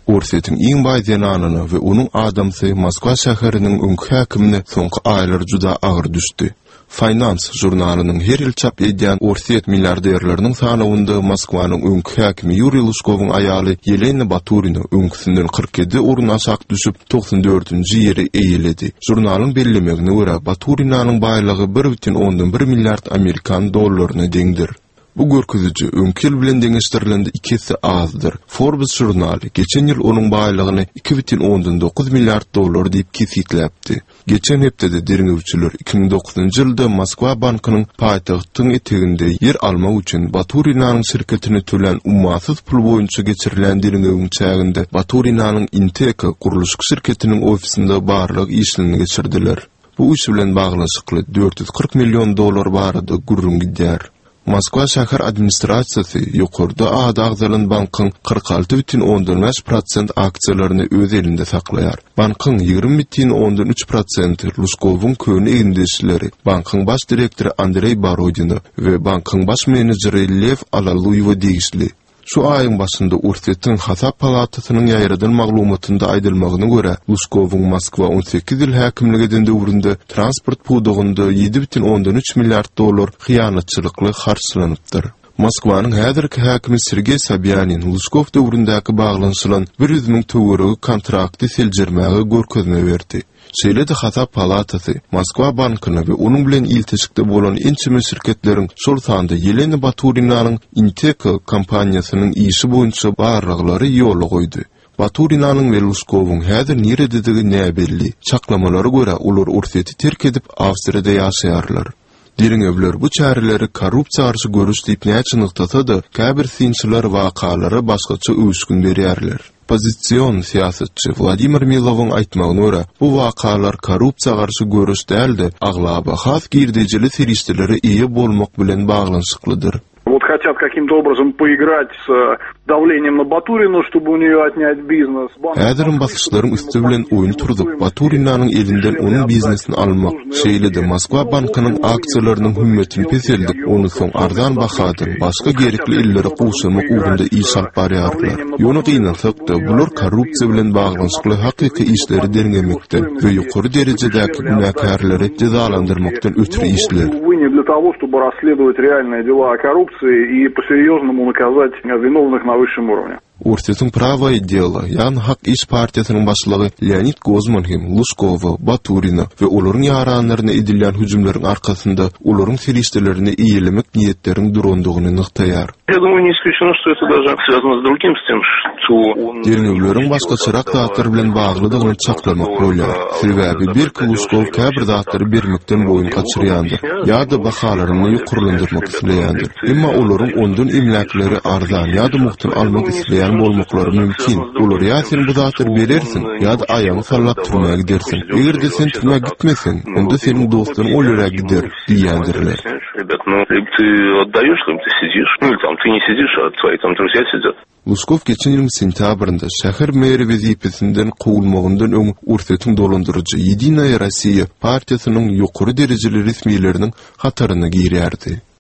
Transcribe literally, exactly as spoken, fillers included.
Orsýetiň iň baý zenanyna we onuň adamsy Moskwa şäheriniň öňki häkimine soňky aýlar juda agyr düşdi. Finance žurnalynyň her ýyl çap edýän Orsýet milliarderleriniň sanawynda Moskwanyň öňki häkimi Ýuriý Lužkowyň aýaly Ýelena Baturina öňküsinden kyrk ýedi orun aşak düşüp, togsan dördünji ýeri eýeledi. Žurnalyň bellemegine görä, Baturinanyň baýlygy bir bütin ondan bir milliard amerikan dollaryna deňdir. Bu görkeziji öňki ýyl bilen deňeşdirilende iki esse azdyr. Forbes žurnaly geçen ýyl onuň baýlygyny iki bütin ondan dokuz milliard dollar diýip kesgitläpdi. Geçen hepdede derňewçiler iki müň dokuzynjy ýylda Moskwa bankynyň paýtagtyň eteginde ýer almak üçin Baturinanyň şirketine tölän ummasyz pul boýunça geçirilen derňewiň çäginde Baturinanyň Inteka gurluşyk şirketiniň ofisinde barlag işlerini geçirdiler. Bu iş bilen baglanyşykly dört ýüz kyrk million dollar barada gürrüň gidýär. Moskwa şäher administrasiýasy ýokarda ady agzalan bankyň kyrk alty bütin ondan bäş prosent aksiýalaryny öz elinde saklaýar. Bankyň ýigrimi bütin ondan üç prosenti Lužkowyň köne egindeşleri, bankyň baş direktory Andreý Borodino we bankyň baş menejeri Lew Alaluýewe degişli. Şu aýyň başynda Orsýetiň hasap palatasynyň ýaýradan maglumatynda aýdylmagyna görä, Lužkowyň Moskwa on sekiz ýyl häkimlik eden döwründe transport pudagynda ýedi bütin ondan üç milliard dollar hyýanatçylykly harçlanypdyr. Moskwanyň häzirki häkimi Sergeý Sobýanin Lužkow döwründäki baglanyşylan bir ýüz müň töweregi kontrakty seljermäge görkezme berdi. Şeýle-de hasap palatasy Moskwa bankyna we onuň bilen ilteşikde bolan ençeme şirketleriň, şol sanda Ýelena Baturinanyň Inteka kompaniýasynyň işi boýunça barlaglary ýola goýdy. Baturinanyň we Lužkowyň häzir nirededigi näbelli. Çaklamalara görä, olar Orsýeti terk edip, Awstriýada ýaşaýarlar. Derňewler bu çäreleri korrupsiýa garşy göreş diýip näçe nygtasa-da, käbir synçylar wakalara başgaça öwüşgin berýärler. Oppozision syýasatçy Wladimir Milowyň aýtmagyna görä, bu wakalar korrupsiýa garşy göreş däl-de, aglaba has girdejili serişdelere eýe bolmak bilen baglanyşyklydyr. Вот хотят каким-то образом поиграть с давлением на Батурину, чтобы у нее отнять бизнес. Häzirem basyşlaryň üsti bilen oýun turzup, Baturinanyň elinden onuň biznesini almak, şeýle-de Moskwa bankynyň aksiýalarynyň hümmetini peseldip, ony soň arzan bahadan başga gerekli ellere gowşurmak ugrunda iş alyp barýarlar. Ýöne gynansak-da, bular korrupsiýa bilen baglanyşykly hakyky işleri derňemekden we ýokary derejedäki günäkärleri jezalandyrmakdan ötri işler. Увы, не для того, чтобы расследовать реальные дела о коррупции и по-серьезному наказать виновных на высшем уровне. Orsýetiň Prawoe delo, ýagny Hak iş partiýasynyň başlygy Leonid Gozman hem Lužkowa, Baturina we olaryň ýaranlaryna edilýän hüjümleriň arkasynda olaryň serişdelerini eýelemek niýetleriň durandygyny nygtaýar. Я думаю, не исключено, что это даже связано с другим, с тем, что он Derňewleriň başgaçarak zatlar bilen baglydygyny çaklamak bolýar. Sebäbi belki Lužkow käbir zatlary bermekden boýun gaçyrýandyr ýa-da bahalaryny ýokarlandyrmak isleýändir. Emma olaryň ondan emläkleri arzan ýa-da mugtun almak isleýän bolmaklary mümkin. Olar ýa sen bu zatlary berersiň, ýa-da aýagyňy sallap türmä gidersiň. Eger-de sen türmä gitmeseň, onda seniň dostlaryň ol ýere gider diýýändirler. Ребят, ну, либо ты отдаешь, либо ты сидишь. Ну, или там ты не сидишь, а твои там друзья сидят. Lužkow geçen ýylyň sentýabrynda şäher meri wezipesinden kowulmagyndan öň Orsýetiň dolandyryjy Ýedinaýa Rossiýa partiýasynyň ýokary derejeli resmileriniň hataryna girýärdi.